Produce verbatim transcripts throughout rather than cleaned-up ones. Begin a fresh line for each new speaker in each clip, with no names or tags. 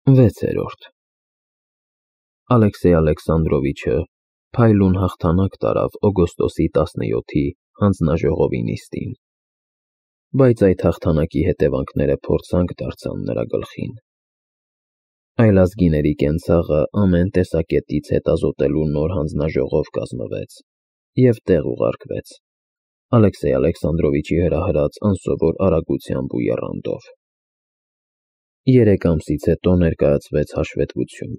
վեցերորդ Ալեքսեյ Ալեքսանդրովիչը փայլուն հաղթանակ տարավ օգոստոսի տասնյոթի հանձնաժողովի նիստին, բայց այդ հաղթանակի հետևանքները փորձանք դարձան նրա գլխին։ Այլազգիների կենցաղը ամեն տեսակետից հետազոտելու նոր հանձնաժողով կազմվեց և տեղ ուղարկվեց Ալեքսեյ Ալեքսանդրովիչի հրահրած անսովոր արագությամբ ու եռանդով։ Երեք ամսից հետո ներկայացվեց հաշվետվություն։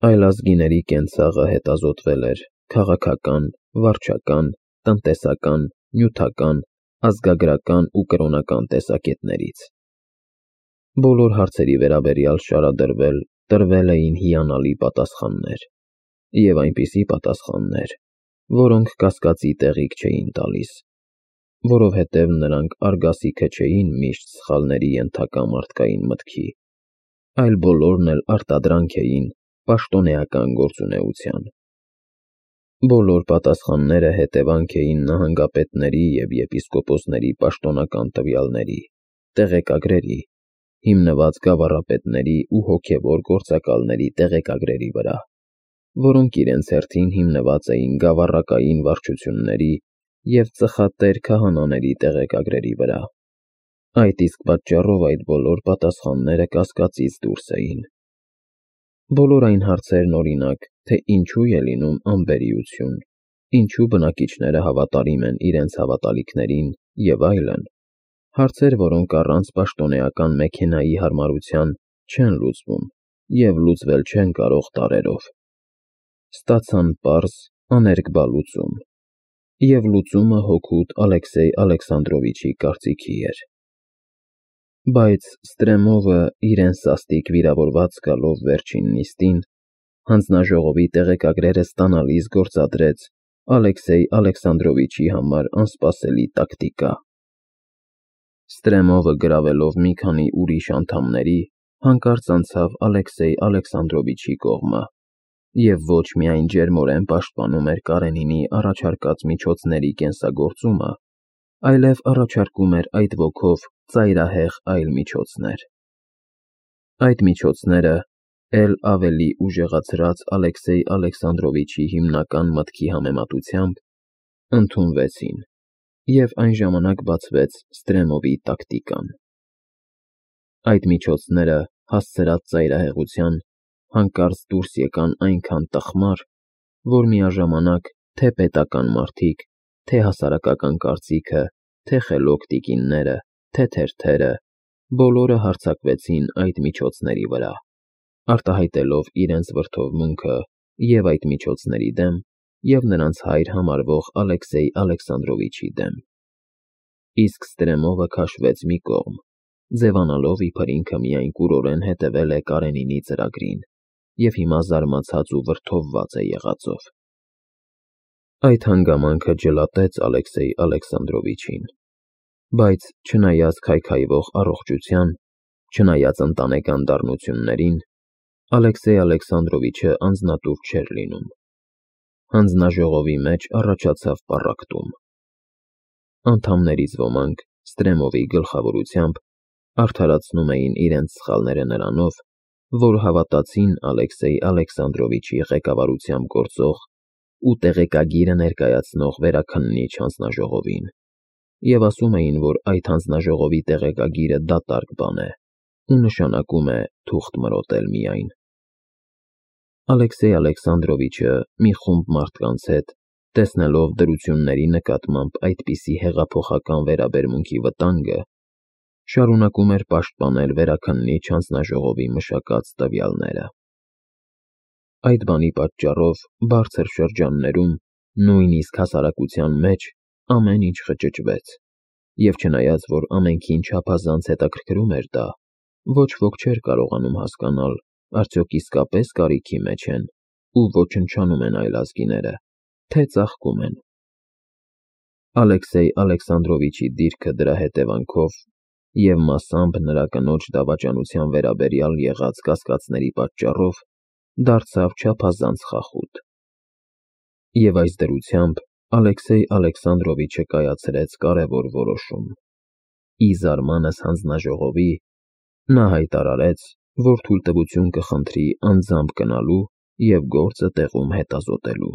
Այլազգիների կենցաղը հետազոտվել էր քաղաքական, վարչական, տնտեսական, նյութական, ազգագրական ու կրոնական տեսակետներից։ Բոլոր հարցերի վերաբերյալ շարադրվել տրվել էին հիանալի պատասխաններ, և այնպիսի պատասխաններ, որոնք կասկածի տեղիք չէին տալիս, որովհետև նրանք արգասիքը չէին միշտ սխալների ենթակա մարդկային մտքի, այլ բոլորն էլ արտադրանք էին պաշտոնեական գործունեության։ Բոլոր պատասխանները հետևանք էին նահանգապետների և եպիսկոպոսների պաշտոնական տվյալների, տեղեկագրերի, հիմնված գավառապետների ու հոգևոր գործակալների տեղեկագրերի վրա, որոնք իրենց հերթին հիմնված էին գավառակային վարչությունների և ծխատեր քահանաների տեղեկագրերի վրա։ Այդ իսկ պատճառով այդ բոլոր պատասխանները կասկածից դուրս էին։ Բոլոր այն հարցերն, օրինակ, թե ինչու է լինում անբերիություն, ինչու բնակիչները հավատարիմ են իրենց հավատալիքներին և այլն, հարցեր, որոնք առանց պաշտոնեական մեքենայի հարմարության չեն լուծվում և լուծվել չեն կարող դարերով, ստացան պարզ, աներկբա լուծում, և լուծումը հօգուտ Ալեքսեյ Ալեքսանդրովիչի կարծիքի էր։ Բայց Ստրեմովը իրեն սաստիկ վիրավորված գալով վերջին նիստին, հանձնաժողովի տեղեկագրերը ստանալիս գործադրեց Ալեքսեյ Ալեքսանդրովիչի համար անսպասելի տակտիկա։ Ստրեմովը գրավելով մի քանի ուրիշ անդամների, հանկարծ անցավ Ալեքսեյ Ալեքսանդրովիչի կողմը և ոչ միայն ջերմորեն պաշտպանում էր Կարենինի առաջարկած միջոցների կենսագործումը, այլև առաջարկում էր այդ ոգով ծայրահեղ այլ միջոցներ։ Այդ միջոցները, էլ ավելի ուժեղացրած Ալեքսեյ Ալեքսանդրովիչի հիմնական մտքի համեմատությամբ, ընդունվեցին, և այն ժամանակ բացվեց Ստրեմովի տակտիկան։ Այդ միջոցները, հասցրած ծայրահեղության, հանկարծ դուրս եկան այնքան տխմար, որ միաժամանակ թե՛ պետական մարդիկ, թե՛ հասարակական կարծիքը, թե՛ խելոք տիկինները, թե՛ թերթերը, բոլորը հարձակվեցին այդ միջոցների վրա, արտահայտելով իրենց վրդովմունքը և՛ այդ միջոցների դեմ, և՛ նրանց հայր համարվող Ալեքսեյ Ալեքսանդրովիչի դեմ։ Իսկ Ստրեմովը քաշվեց մի կողմ, ձևանալով, իբր ինքը միայն կուրորեն հետևել է Կարենինի ծրագրին և հիմա զարմացած ու վրդովված է եղածով։ Այդ հանգամանքը ջլատեց Ալեքսեյ Ալեքսանդրովիչին, բայց չնայած քայքայվող առողջության, չնայած ընտանեկան դառնություններին, Ալեքսեյ Ալեքսանդրովիչը անձնատուր չէր լինում։ Հանձնաժողովի մեջ առաջացավ պառակտում։ Անդամներից ոմանք, Ստրեմովի գլխավորությամբ, արդարացնում էին իրենց սխալները նրանով, որ հավատացին Ալեքսեյ Ալեքսանդրովիչի ղեկավարությամբ գործող ու տեղեկագիրը ներկայացնող վերաքննիչ հանձնաժողովին, և ասում էին, որ այդ հանձնաժողովի տեղեկագիրը դատարկ բան է ու նշանակում է թուղթ մրոտել միայն։ Ալեքսեյ Ալեքսանդրովիչը մի խումբ մարդկանց հետ, տեսնելով դրությունների նկատմամբ այդպիսի հեղափոխական վերաբերմունքի վտանգը, շարունակում էր պաշտպանել վերաքննիչ հանձնաժողովի մշակած տվյալները։ Այդ բանի պատճառով բարձր շրջաններում, նույնիսկ հասարակության մեջ, ամեն ինչ խճճվեց, և չնայած որ ամենքին չափազանց հետաքրքրում էր դա, ոչ ոք չէր կարողանում հասկանալ, արդյոք իսկապես կարիքի մեջ են ու ոչնչանում են այլազգիները, թե ծաղկում են։ Ալեքսեյ Ալեքսանդրովիչի դիրքը դրա հետևանքով և մասամբ նրա կնոջ դավաճանության վերաբերյալ եղած կասկածների պատճառով դարձավ չափազանց խախուտ։ Եվ այս դրությամբ Ալեքսեյ Ալեքսանդրովիչը կայացրեց կարևոր որոշում։ Ի զարմանս հանձնաժողովի, նա հայտարարեց, որ թույլտվություն կխնդրի անձամբ գնալու և գործը տեղում հետազոտելու։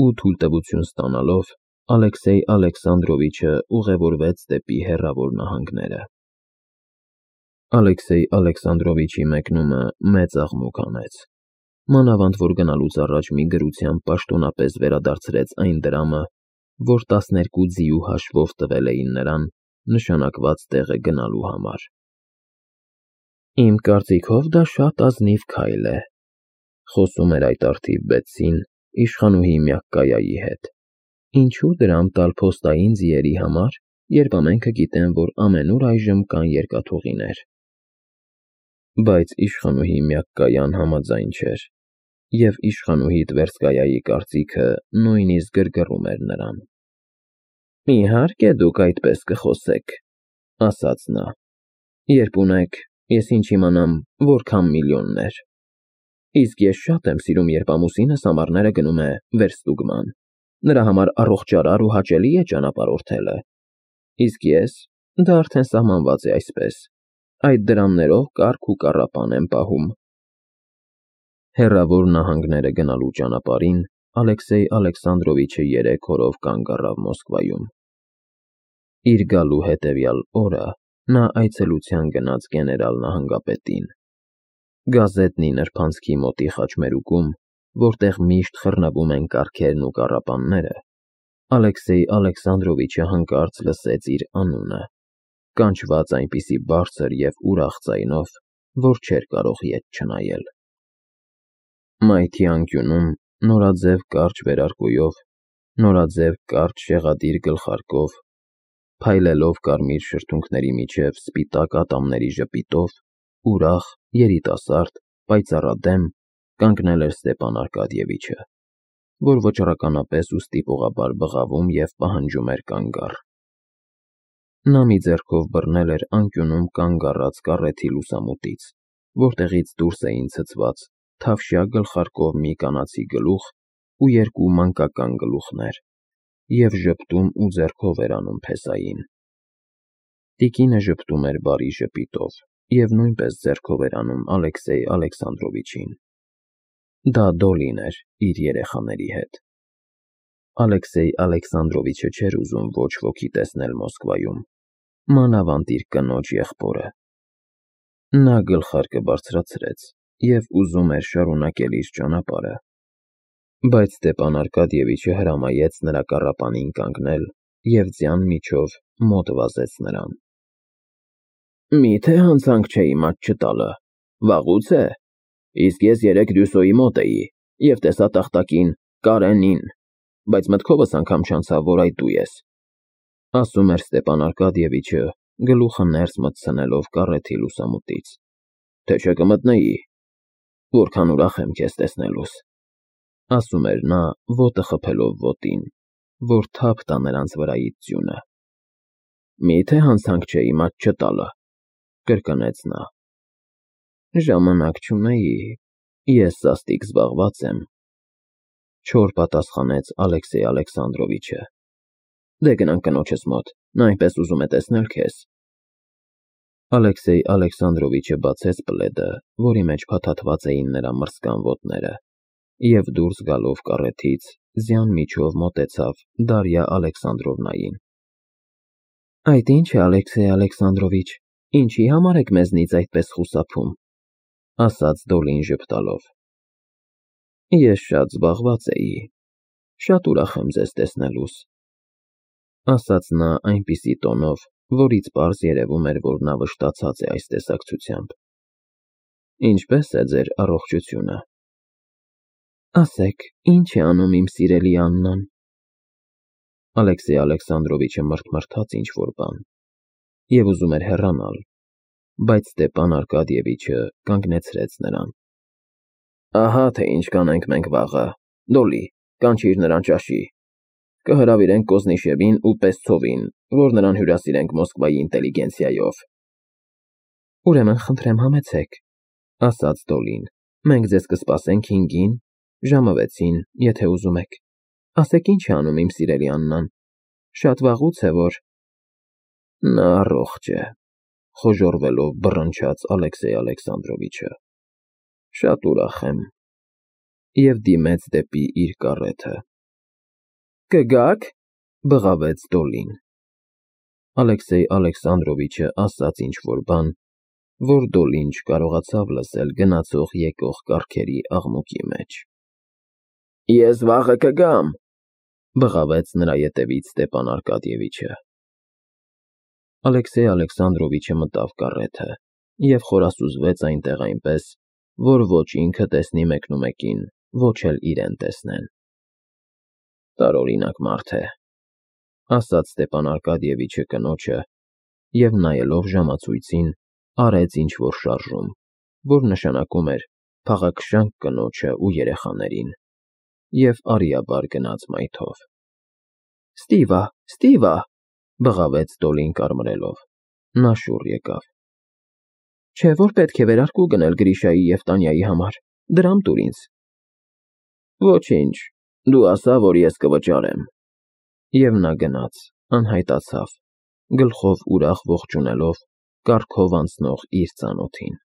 Ու թույլտվություն ստանալով, Ալեքսեյ Ալեքսանդրովիչը ուղևորվեց դեպի հեռավոր նահանգները։ Ալեքսեյ Ալեքսանդրովիչի մեկնումը մեծ աղմուկ անեց, մանավանդ որ գնալուց առաջ մի գրությամբ պաշտոնապես վերադարձրեց այն դրամը, որ տասներկու ձիու հաշվով տվել էին նրան նշանակված տեղը գնալու համար։ Իմ կարծիքով դա շատ ազնիվ քայլ է, խոսում էր այդ առթիվ Բետսին իշխանուհի Մյակկայայի հետ։ Ինչու դրամ տալ փոստային ձիերի համար, երբ ամենքը գիտեն, որ ամենուր այժմ կան երկաթուղիներ։ Բայց իշխանուհի Մյակկայան համաձայն չէր, և իշխանուհի Տվերսկայայի կարծիքը նույնիսկ գրգռում էր նրան։ Իհարկե դուք այդպես կխոսեք, ասաց նա, երբ ունեք, ես ինչ իմանամ, որքան միլիոններ։ Իսկ ես շատ եմ սիրում, երբ ամուսինս ամառները գնում է վերստուգման, նրա համար առողջարար ու հաճելի է ճանապարհորդելը։ Իսկ ես, դա արդեն սահմանված է այսպես, այդ դրամներով կառք ու կառապան եմ պահում։ Հեռավոր նահանգները գնալու ճանապարհին Ալեքսեյ Ալեքսանդրովիչը երեք օրով կանգ առավ Մոսկվայում։ Իր գալու հետևյալ օրը նա այցելության գնաց գեներալ նահանգապետին։ Գազետնի նրբանցքի մոտի խաչմերուկում, որտեղ միշտ խռնվում են կառքերն ու կառապանները, Ալեքսեյ Ալեքսանդրովիչը հանկարծ լսեց իր անունը, կանչված այնպիսի բարձր և ուրախ ձայնով, որ չէր կարող ետ չնայել։ Մայթի անկյունում նորաձև կարճ վերարկուով, նորաձև կարճ շեղադիր գլխարկով, փայլելով կարմիր շրթունքների միջև սպիտակ ատամների ժպիտով, ուրախ, երիտասարդ, պայծառադեմ կանգնել էր Ստեպան Արկադիևիչը, որ վճռականապես ու ստիպողաբար բղավում և պահանջում էր կանգ առ։ Նա մի ձեռքով բռնել էր անկյունում կանգ առած կառեթի լուսամուտից, որտեղից դուրս էին ցցված թավշյա գլխարկով մի կանացի գլուխ ու երկու մանկական գլուխներ, և ժպտում ու ձեռքով էր անում փեսային։ Տիկինը ժպտում էր բարի ժպիտով և նույնպես ձեռքով էր անում Ալեքսեյ Ալեքսանդրովիչին։ Դա Դոլին էր իր երեխաների հետ։ Ալեքսեյ Ալեքսանդրովիչը չէր ուզում ոչ ոքի տեսնել Մոսկվայում, մանավանդ իր կնոջ եղբորը։ Նա գլխարկը բարձրացրեց և ուզում էր շարունակել իր ճանապարհը, բայց Ստեպան Արկադիևիչը հրամայեց նրա կառապանին կանգնել և ձյան միջով մոտ վազեց նրան։ Մի՞թե հանցանք չէ իմաց չտալը, վաղուց է, իսկ ես երեկ Դյուսոյի մոտ էի և տեսա տախտակին Կարենին, բայց մտքովս անգամ չանցավ, որ այդ դու ես, ասում էր Ստեպան Արկադիևիչը, գլուխը ներս մտցնելով կառեթի լուսամուտից, թե չէ կմտնեի, որքան ուրախ եմ քեզ տեսնելուս, ասում էր նա ոտը խփելով ոտին, որ թափ տա նրանց վրայից ձյունը։ Մի՞թե հանցանք չէ իմաց չտալը, կրկնեց նա։ Ժամանակ չունեի, ես սաստիկ զբաղված եմ, չոր պատասխանեց Ալեքսեյ Ալեքսանդրովիչը։ Դե գնանք կնոջս մոտ, նա այնպես ուզում է տեսնել քեզ։ Ալեքսեյ Ալեքսանդրովիչը բացեց պլեդը, որի մեջ փաթաթված էին նրա մրսկան ոտները, և դուրս գալով կառեթից ձյան միջով մոտեցավ Դարյա Ալեքսանդրովնային։ Այդ ի՞նչ է, Ալեքսեյ Ալեքսանդրովիչ, ինչի համար եք մեզնից այդպես խուսափում, ասաց Դոլին ժպտալով։ Ես շատ զբաղված էի, շատ ուրախ եմ ձեզ տեսնելուս, ասաց նա այնպիսի տոնով, որից պարզ երևում էր, որ նա վշտացած է այս տեսակցությամբ։ Ինչպե՞ս է ձեր առողջությունը։ Ասեք, ի՞նչ է անում իմ սիրելի Աննան։ Ալեքսեյ Ալեքսանդրովիչը մռթմռթաց ինչ-որ բան և ուզում էր հեռանալ, բայց Ստեպան Արկադիևիչը կանգնեցրեց նրան։ Ահա թե ինչ կանենք մենք վաղը, Դոլի, կանչիր նրան ճաշի։ Կհրավիրենք Կոզնիշևին ու Պեսցովին, որ նրան հյուրասիրենք Մոսկվայի ինտելիգենցիայով։ Ուրեմն խնդրեմ համեցեք, ասաց Դոլին, մենք ձեզ կսպասենք հինգին, ժամը վեցին, եթե ուզում եք։ Ասեք ինչ է անում իմ սիրելի Աննան, շատ վաղուց է որ… Նա առողջ է, խոժոռվելով բռնչաց Ալեքսեյ Ալեքսանդրովիչը։ Շատ ուրախ եմ։ Եվ դիմեց դեպի իր կարեթը։ Կգա՞ք, բղավեց Դոլին։ Ալեքսեյ Ալեքսանդրովիչը ասաց ինչ-որ բան, որ Դոլին չկարողացավ լսել գնացող եկող կառքերի աղմուկի մեջ։ Ես վաղը կգամ, բղավեց նրա ետևից Ստեփան Արկադիևիչը։ Ալեքսեյ Ալեքսանդրովիչը մտավ կարեթը և խորասուզվեց այնտեղ այնպես, որ ոչ ինքը տեսնի մեկնումեկին, ոչ էլ իրեն տեսնեն։ Տարօրինակ մարդ է, ասաց Ստեփան Արկադիևիչը կնոջը և նայելով ժամացույցին, արեց ինչ-որ շարժում, որ նշանակում էր փաղաքշանք կնոջը ու երեխաներին, և արիաբար գնաց մայթով։ Ստիվա, Ստիվա, բղավեց Դոլին կարմրելով։ Նա շուռ եկավ։ Չէ՞ որ պետք է վերարկու գնել Գրիշայի և Տանյայի համար, դրամ տուր ինձ։ Ոչինչ, դու ասա, որ ես կվճարեմ։ Եվ նա գնաց, անհայտացավ, գլխով ուրախ ողջունելով կառքով անցնող իր ծանոթին։